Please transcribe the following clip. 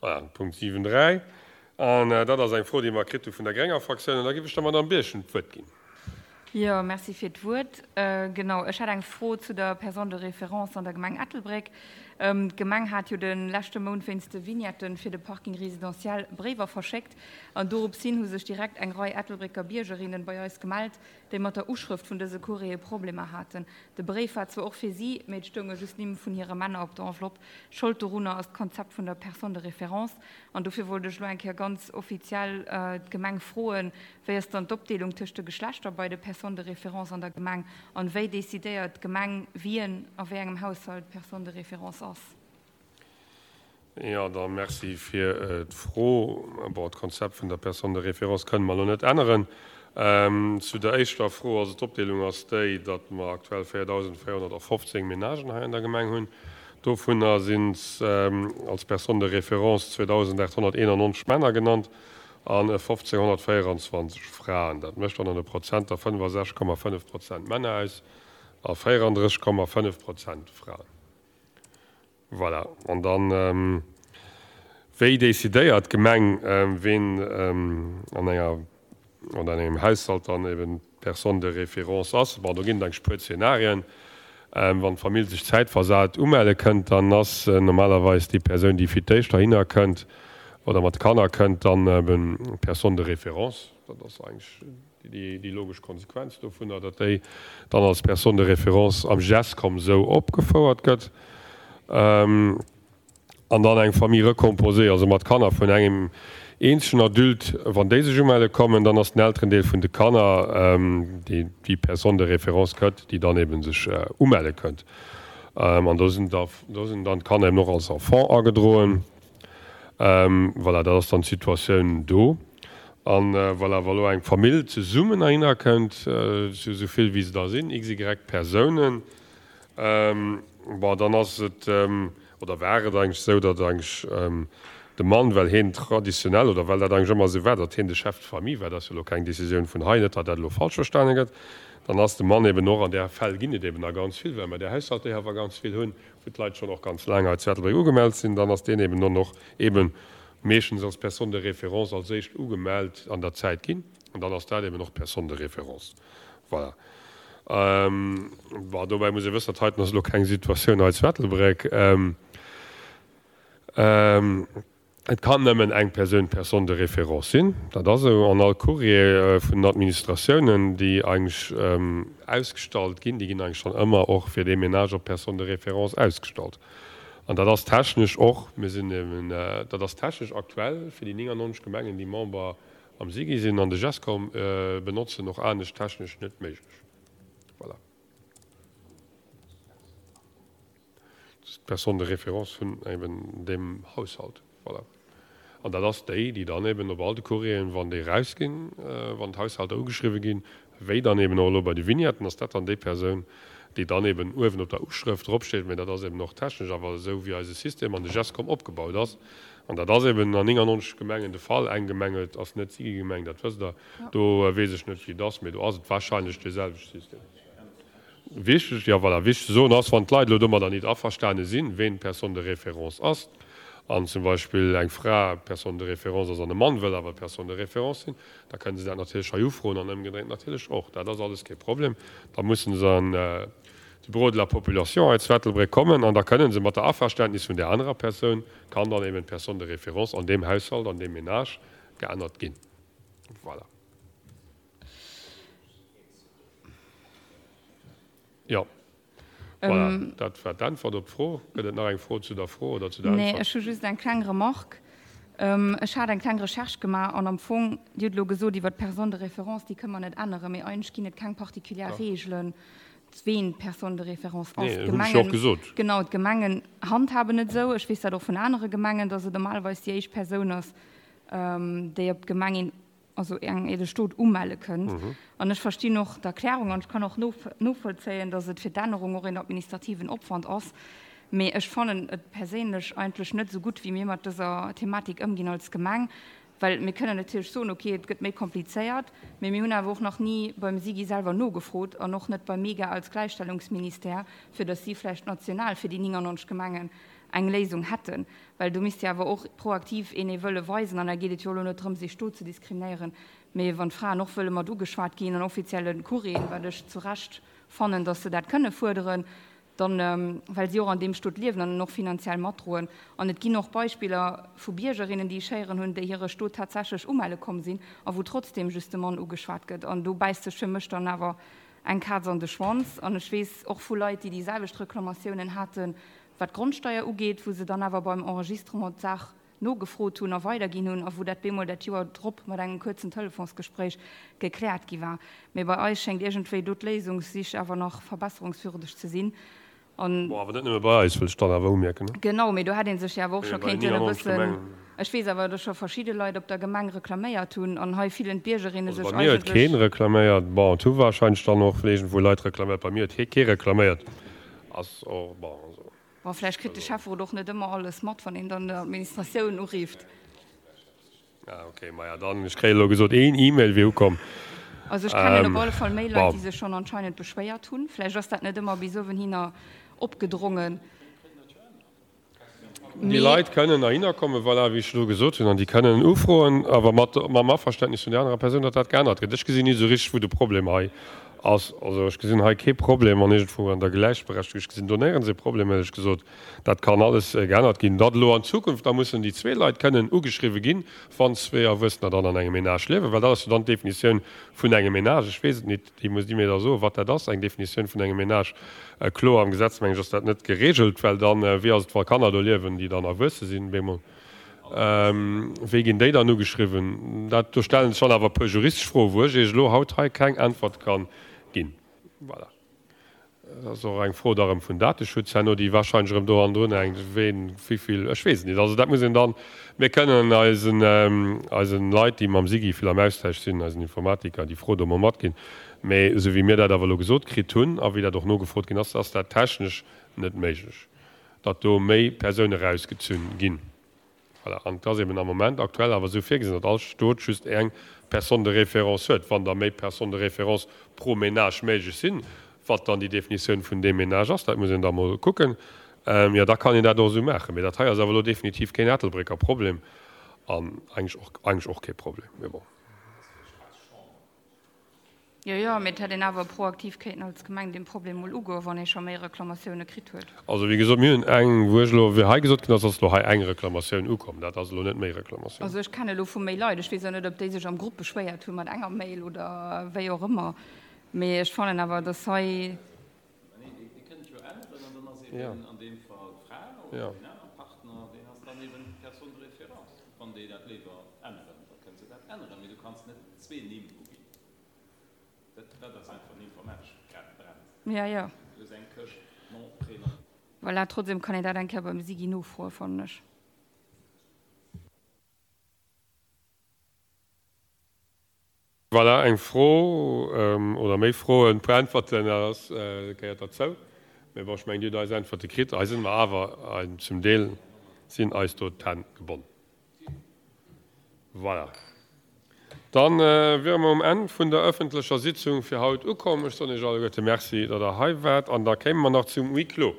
Voilà, den Punkt 7, 3. An dat ass eng Fro, déi mer kritt hu vun der grénger Fraktioun. An da géif ech der Madamm Birchen d'Wuert ginn. Jo, merci fir d'Wuert. Genau, ech hätt eng Fro zu der Personne de référence an der Gemeng Ettelbréck. D'Gemeng hat jo de leschte Mount wéinst de Vignetten fir de Parking résidentiel Bréiwer verschéckt. An doropshin hu sech direkt eng Rei Ettelbrécker Biergerinnen bei eis gemellt, déi mat der Uschrëft vun dëse Courriere Problemer haten. De Bréif war zwar och fir si, mee et stounge just Nimm vun hire Männer op der Enveloppe. Schold dorunner ass d'Konzept vun der Personne de référence. An dofir wollt ech elo eng Kéier ganz offiziell d'Gemeng froen, Wéi ass dann d'Opdeelung tëscht de Geschlechter bei de Personnes de référence an der Gemeng? An wéi decidéiert d'Gemeng, wien a wéi engem Haushalt Personne de référence ass? Jo, da merci fir d'Fro. Bon, d'Konzept vun der Personne de référence kënne mer elo net änneren. Zu der éischter Fro, also d'Opdeelung ass déi, datt mer aktuell 4.415 Menagen hei an der Gemeng hunn. Dovunner sinn als Personnes de référence 2.891 Männer genannt an 1.524 Fraen. Dat mécht dann an de Prozenter 65,5 Prozent Männer aus a 34,5 Prozent Fraen. Voilà. An dann, wéi decidéiert d'Gemeng, ween an enger oder an engem Haushalt dann eben d'Personne de référence ass? Bon, do ginn et eigentlech e puer Zeenarien. Wann d'Famill sech zäitversat umelle kënnt, dann ass normalerweis déi Persoun, déi fir d'éischt heihinner kënnt oder mat de Kanner kënnt, dann eben d'Personne de référence. Dat ass eigentlech Déi logesch Konsequenz dovunner, datt déi dann als Personne de référence am Gescom esou opgefouert gëtt. An dann eng Famille recomposée, also mat Kanner vun engem eenzegen Adulte, wann déi sech umelle kommen, dann ass den Elterendeel vun de Kanner, déi déi Personne de référence gëtt, déi dann ebe sech umelle kënnt. An do sinn dann d'Kanner eben och als Enfant agedroen. Voilà, dat ass dann d'Situatioun do. An voilà, wa lo eng Famill zesummen heihinner kënnt, zu esou vill wéi se da sinn, XY Persounen, bon, dann ass et, oder war et eigentlech esou, datt eigentlech de Mann, well hien traditionell, oder well dat eigentlech ëmmer esou war, datt hien de Chef de famille war, dat ass jo elo keng Décisioun vun hei, net datt dat elo falsch verstane gëtt, dann ass de Mann eben och, an där Fäll ginn et eben da ganz vill, well mer där Haushalter jo awer ganz vill hunn, wou d'Leit schonn och ganz laang hei zu Ettelbréck ugemellt sinn, dann ass deen eben dann och eben meeschtens als Personne de référence als éischt ugemellt an der Zäit ginn an dann ass dat eben och d'Personne de référence. Voilà. Bon, dobäi muss ee wëssen, dat heiten ass elo keng Situatioun hei zu Ettelbréck. Et kann nëmmen eng Persoun Personne de référence sinn, dat ass esou. An all Courrier vun den Administratiounen, déi eigentlech ausgestallt ginn, déi ginn eigentlech dann ëmmer och fir dee Ménage op d'Personne de référence ausgestallt. An dat ass technesch och, mir sinn eben, dat ass technesch aktuell fir déi 99 Gemengen, déi Member am SIGI sinn an de Gescom benotzen, och anescht technesch net méiglech. Voilà. D'Personne de référence vun eben deem Haushalt. Voilà. An dat ass déi, déi dann eben op all de Courrieren, wann déi erausginn, wann d'Haushalter ugeschriwwe ginn, wéi dann eben och elo bei de Vignetten, ass dat dann déi Persoun, déi dann eben uewen op der Uschrëft dropsteet. Mä dat ass eben och technesch awer esou, wéi eise System an de Gescom opgebaut ass. An dat ass eben an 99 Gemengen de Fall. Eng Gemeng huet, ass net d'Sigi-Gemeng, dat wësst Der. Do weess ech net, wéi et ass, mä do ass et wahrscheinlech dee selwechte System. Wichteg, jo voilà, wichteg ze soen ass, wann d'Leit elo domadder nit averstane sinn, ween d'Personne de référence ass, an zum Beispill eng Fra d'Personne de référence ass an e Mann wëll awer d'Personne de référence sinn, da kënne se dat natierlech hei ufroen an ëmgedréint natierlech och. Dat ass alles kee Problem. Da mussen se an de Bureau de la population hei zu Ettelbréck kommen an da kënne se mat der Averständnis vun där anerer Persoun, kann dann eben d'Personne de référence an deem Haushalt, an deem Ménage geännert ginn. Voilà. Jo. Voilà, dat war d'Äntwert op d'Fro. Gëtt et nach eng Fro zu der Fro oder zu der Äntwert? Nee, ech hu just eng kleng Remarque. Ech hat eng kleng Recherche gemaach an am Fong, Dir hutt elo gesot iwwert d'Personne de référence, déi kënne mer net änneren, mee eigentlech ginn et keng particulière Reegelen, ween d'Personne de référence ass. Nee, hunn ech jo och gesot. Genau, d'Gemengen handhaben et esou. Ech weess dat och vun anere Gemengen, dass et normalerweis déi éischt Persoun ass, déi op d'Gemeng een also eng de Stot umelle kënnt. An ech verstinn och d'Erklärung an ech kann och novollzéien, datt et fir d'Ännerung och een administrativen Opwand ass. Mee ech fannen et perséinlech eigentlech net esou gutt, wéi mir mat dëser Thematik ëmginn als Gemeng, well mir kënnen natierlech soen, okay, et gëtt méi komplizéiert, mee mir hunn awer och nach ni beim SIGI selwer nogefrot an och net beim MEGA als Gläichstellungsministère, fir datt si vläicht national fir déi 99 Gemengen. eng Léisung hätten. Well do misst jo awer och proaktiv een ee Wëlle weisen, an da geet et jo elo net drëm, sech do ze diskriminéieren, mee wann d'Fraen och wëlle mat ugeschwat ginn an offizielle Courrieren, wat ech zu Recht fannen, datt se dat kënne fuerderen, dann, well si och an deem Stot liewen an en och finanziell matdroen. An et ginn och Beispiller vu Biergerinnen, déi ech héieren hunn, déi hire Stot tatsächlech umelle komm sinn a wou trotzdem just de Mann ugeschwat gëtt. An do bäisst sech fir mech dann awer eng Kaz an de Schwanz. An ech weess och vu Leit, déi déi selwecht Reklamatiounen haten, wat d'Grondsteier ugeet, wou se dann awer beim Enregistrement d'Saach nogefrot hunn a weiderginn hunn a wou dat bemol dat Joer drop mat engem kuerzen Telefonsgespréich gekläert gi war. Mee bei eis schéngt iergendwéi do d'Léisungssich awer nach verbesserungswürdeg ze sinn. An. Bon, awer net nëmme bei eis, wëll ech dann awer umierken. Genau, mee do hätt ee sech jo awer och scho kéinten e bëssen. Ech weess awer, datt scho verschidde Leit op der Gemeng reklaméiert hunn an hei fillen d'Biergerinne sech eigentlech. Also bei mir huet keen reklaméiert. Bon, et hu warscheinlech dann och iergendwou Leit reklaméiert. Bei mir huet kee reklaméiert. Ass och, bon, also. Bon, vläicht kritt de Schäfferot och net ëmmer alles mat, wann een dann d'Administratioun urifft. Ah, okay, maja, dann, ech kréien elo gesot, een E-Mail wier ukomm. Also ech kennen op alle Fall méi Leit, déi sech schonn anscheinend beschwéiert hunn. Vläicht ass dat net ëmmer bis uewenhinner opgedrongen. Déi Leit kënnen heihinner kommen, voilà, wéi ech elo gesot hunn, an déi kënnen ufroen, awer mat, mam Averständnis vun där anerer Persoun, datt dat geännert gëtt. Ech gesinn nit esou richteg, wou de Problem hei ass. Also ech gesinn hei kee Problem an iergendwou an der Gläichberechtigung. Ech gesinn do néierens ee Problem, éierlech gesot. Dat kann alles geännert ginn. Datt elo an Zukunft da mussen déi zwee Leit kënnen ugeschriwwe ginn, wann zwee Erwuessener dann an engem Ménage liewen, well dat ass jo dann d'Definitioun vun engem Ménage. Ech weess et nit. Déi musst Dir mir da soen, wat dat ass, eng Definitioun vun engem Ménage. Kloer am Gesetz, mengen ech, ass dat net geregelt, well dann, wéi ass et, wa Kanner do liewen, déi dann erwuesse sinn bemol, wéi ginn déi dann ugeschriwwen? Dat, do stelle sech dann awer e puer juristesch Froen, wou ech Iech elo haut hei keng Äntwert ka ginn. Voilà. Dat ass och eng Fro da erëm vun Dateschutz herno, déi wahrscheinlech erëm do hannendrun hänkt, ween, wéivill, ech weess et net. Also dat muss een dann, mir kënnen eisen, eisen Leit, déi mam SIGI vill am Austausch sinn, eisen Informatiker, déi Fro do emol matginn. Mä esou wéi mir dat awer elo gesot kritt hunn a wéi dat och nogefrot ginn ass, ass dat technesch net méiglech, datt do méi Persoune rausgezunn ginn. Voilà, an et ass eben am Moment aktuell awer esou virgesinn, datt all Stot just eng Personne de référence huet. Wann da méi Personnes de référence pro Ménage méiglech sinn, wat dann déi Definitioun vun deem Ménage ass, dat muss een da mol kucken, jo da kann een dat och esou maachen. Mee dat hei ass awer elo definitiv keen Ettelbrécker Problem an eigentlech och, eigentlech och kee Problem, mee bon. Jo, jo, mee et hätt een awer proaktiv kéinten als Gemeng dee Problem mol ugoen, wann ee scho méi Reklamatioune kritt huet. Also, wéi gesot, mir hunn eng, wou ech elo, wéi hei gesot ginn ass, ass elo hei eng Reklamatioun ukomm. Dat ass elo net méi Reklamatioun. Also ech kenne elo vu méi Leit, ech weess och net, ob déi sech am Grupp beschwéiert hu mat enger Mail oder wéi och ëmmer, mee ech fannen awer, dass hei. Mä nee, Dir kënnt jo änneren an dann ass eben an deem Fall d'Fra oder deen anere Partner, deen ass dann eben d'Personne de référence. Wann déi dat léiwer änneren, da kënne se dat änneren, mee du kanns net zwee Nimm uginn. Dat, dat ass einfach en informatescht Grad brennt. Ja, ja. Du hues eng Këscht Nom, Prénom. Voilà, trotzdem kann een dat eng Kéier beim Sigi nofroen, fannen ech. Voilà, eng Fro oder méi Froen, e puer Äntwerten, dat ass, gehéiert derzou. Mee bon, ech mengen, Dir hutt eis Äntwerte kritt. Hei si mer awer, zum Deel sinn eis do d'Hänn gebonnen. Voilà. Dann wiere mer um Enn vun der öffentlecher Sitzung fir haut ukomm. Ech soen Iech alleguerte Merci, datt Der hei waart. An da kéime mer nach zum Huis clos.